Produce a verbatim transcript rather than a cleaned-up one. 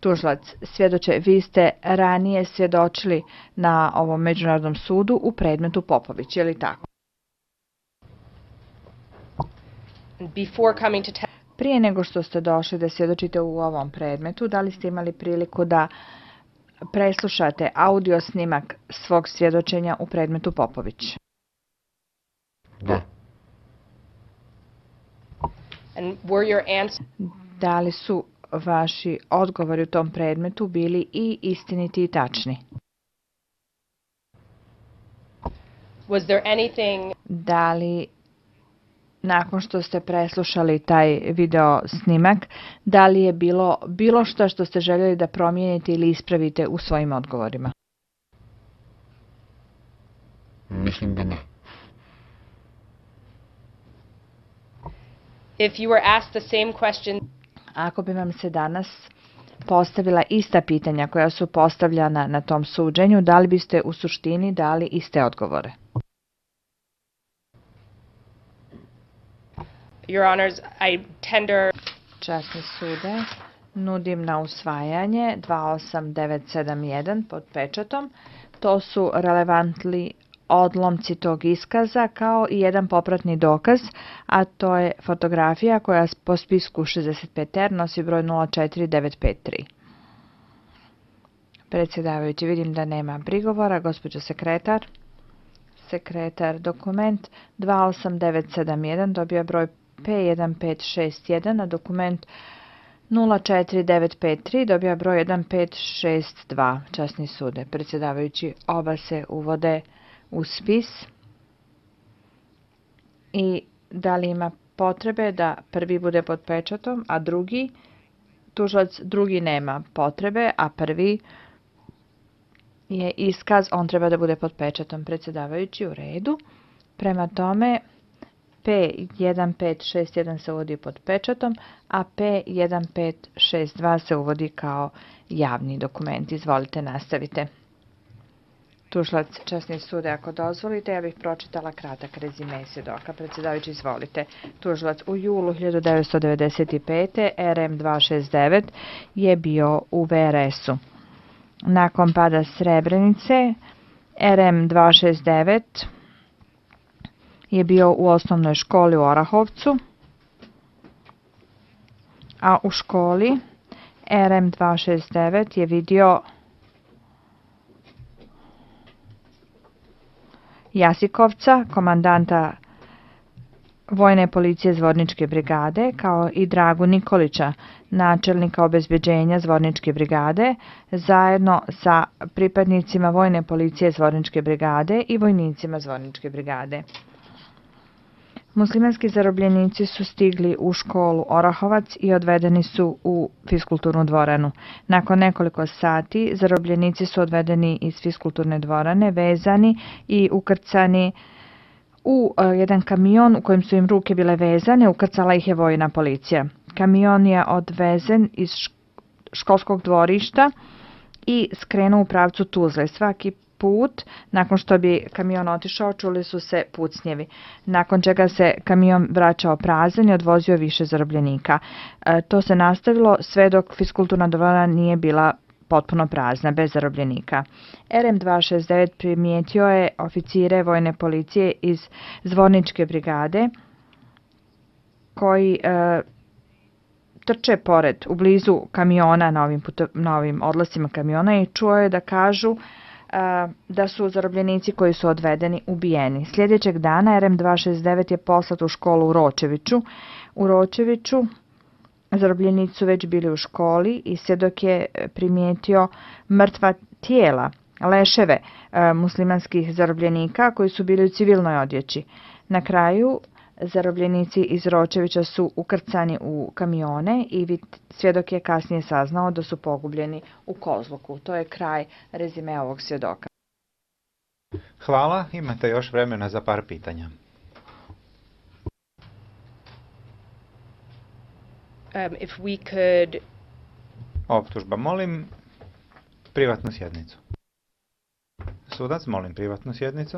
Tužilac, svjedoče, vi ste ranije svjedočili na ovom međunarodnom sudu u predmetu Popović, je li tako? Before coming to te- Prije nego što ste došli da svjedočite u ovom predmetu, da li ste imali priliku da preslušate audio snimak svog svjedočenja u predmetu Popović? Da. And were your answers Da li su vaši odgovori u tom predmetu bili i istiniti i tačni? was there anything Da li nakon što ste preslušali taj video snimak, da li je bilo bilo što što ste željeli da promijenite ili ispravite u svojim odgovorima? Mislim da ne. if you were asked the same question Ako bi vam se danas postavila ista pitanja koja su postavljana na tom suđenju, da li biste u suštini dali iste odgovore? Your Honors, I tender Časni sude, nudim na usvajanje dva osam devet sedam jedan pod pečatom. To su relevantni odlomci tog iskaza kao i jedan popratni dokaz, a to je fotografija koja po spisku šezdeset pet R nosi broj nula četiri devet pet tri. Predsjedavajući, vidim da nema prigovora. Gospođo sekretar, sekretar, dokument dva osam devet sedam jedan dobija broj P jedan pet šest jedan, a dokument nula četiri devet pet tri dobija broj jedan pet šest dva. Časni sude, predsjedavajući, oba se uvode u spis. I da li ima potrebe da prvi bude pod pečatom, a drugi, tužilac, drugi nema potrebe, a prvi je iskaz, on treba da bude pod pečatom. Predsjedavajući, u redu. Prema tome, P jedan pet šest jedan se uvodi pod pečatom, a P jedan pet šest dva se uvodi kao javni dokument. Izvolite, nastavite. Tužilac, časni sude, ako dozvolite, ja bih pročitala kratak rezime svjedoka. Predsjedavajući, izvolite. Tužilac, u julu hiljadu devetsto devedeset pete. R M dva šest devet je bio u V R S-u. Nakon pada Srebrenice, R M dva šest devet je bio u osnovnoj školi u Orahovcu, a u školi R M dva šest devet je vidio Jasikovca, komandanta Vojne policije Zvorničke brigade, kao i Dragu Nikolića, načelnika obezbeđenja Zvorničke brigade, zajedno sa pripadnicima Vojne policije Zvorničke brigade i vojnicima Zvorničke brigade. Muslimanski zarobljenici su stigli u školu Orahovac i odvedeni su u fiskulturnu dvoranu. Nakon nekoliko sati zarobljenici su odvedeni iz fiskulturne dvorane, vezani i ukrcani u jedan kamion u kojem su im ruke bile vezane. Ukrcala ih je vojna policija. Kamion je odvezen iz školskog dvorišta i skrenuo u pravcu Tuzle. Svaki put, nakon što bi kamion otišao, čuli su se pucnjevi, nakon čega se kamion vraćao prazan i odvozio više zarobljenika. E, to se nastavilo sve dok fiskulturna dvorana nije bila potpuno prazna, bez zarobljenika. R M dva šest devet primijetio je oficire vojne policije iz Zvorničke brigade koji e, trče pored, u blizu kamiona na ovim, puto, na ovim odlascima kamiona i čuo je da kažu da su zarobljenici koji su odvedeni ubijeni. Sljedećeg dana R M dva šest devet je poslat u školu u Ročeviću. U Ročeviću zarobljenici su već bili u školi i svjedok je primijetio mrtva tijela, leševe muslimanskih zarobljenika koji su bili u civilnoj odjeći. Na kraju zarobljenici iz Ročevića su ukrcani u kamione i svjedok je kasnije saznao da su pogubljeni u Kozluku. To je kraj rezime ovog svjedoka. Hvala, imate još vremena za par pitanja. um, if we could Optužba, molim privatnu sjednicu. Sudac, molim privatnu sjednicu.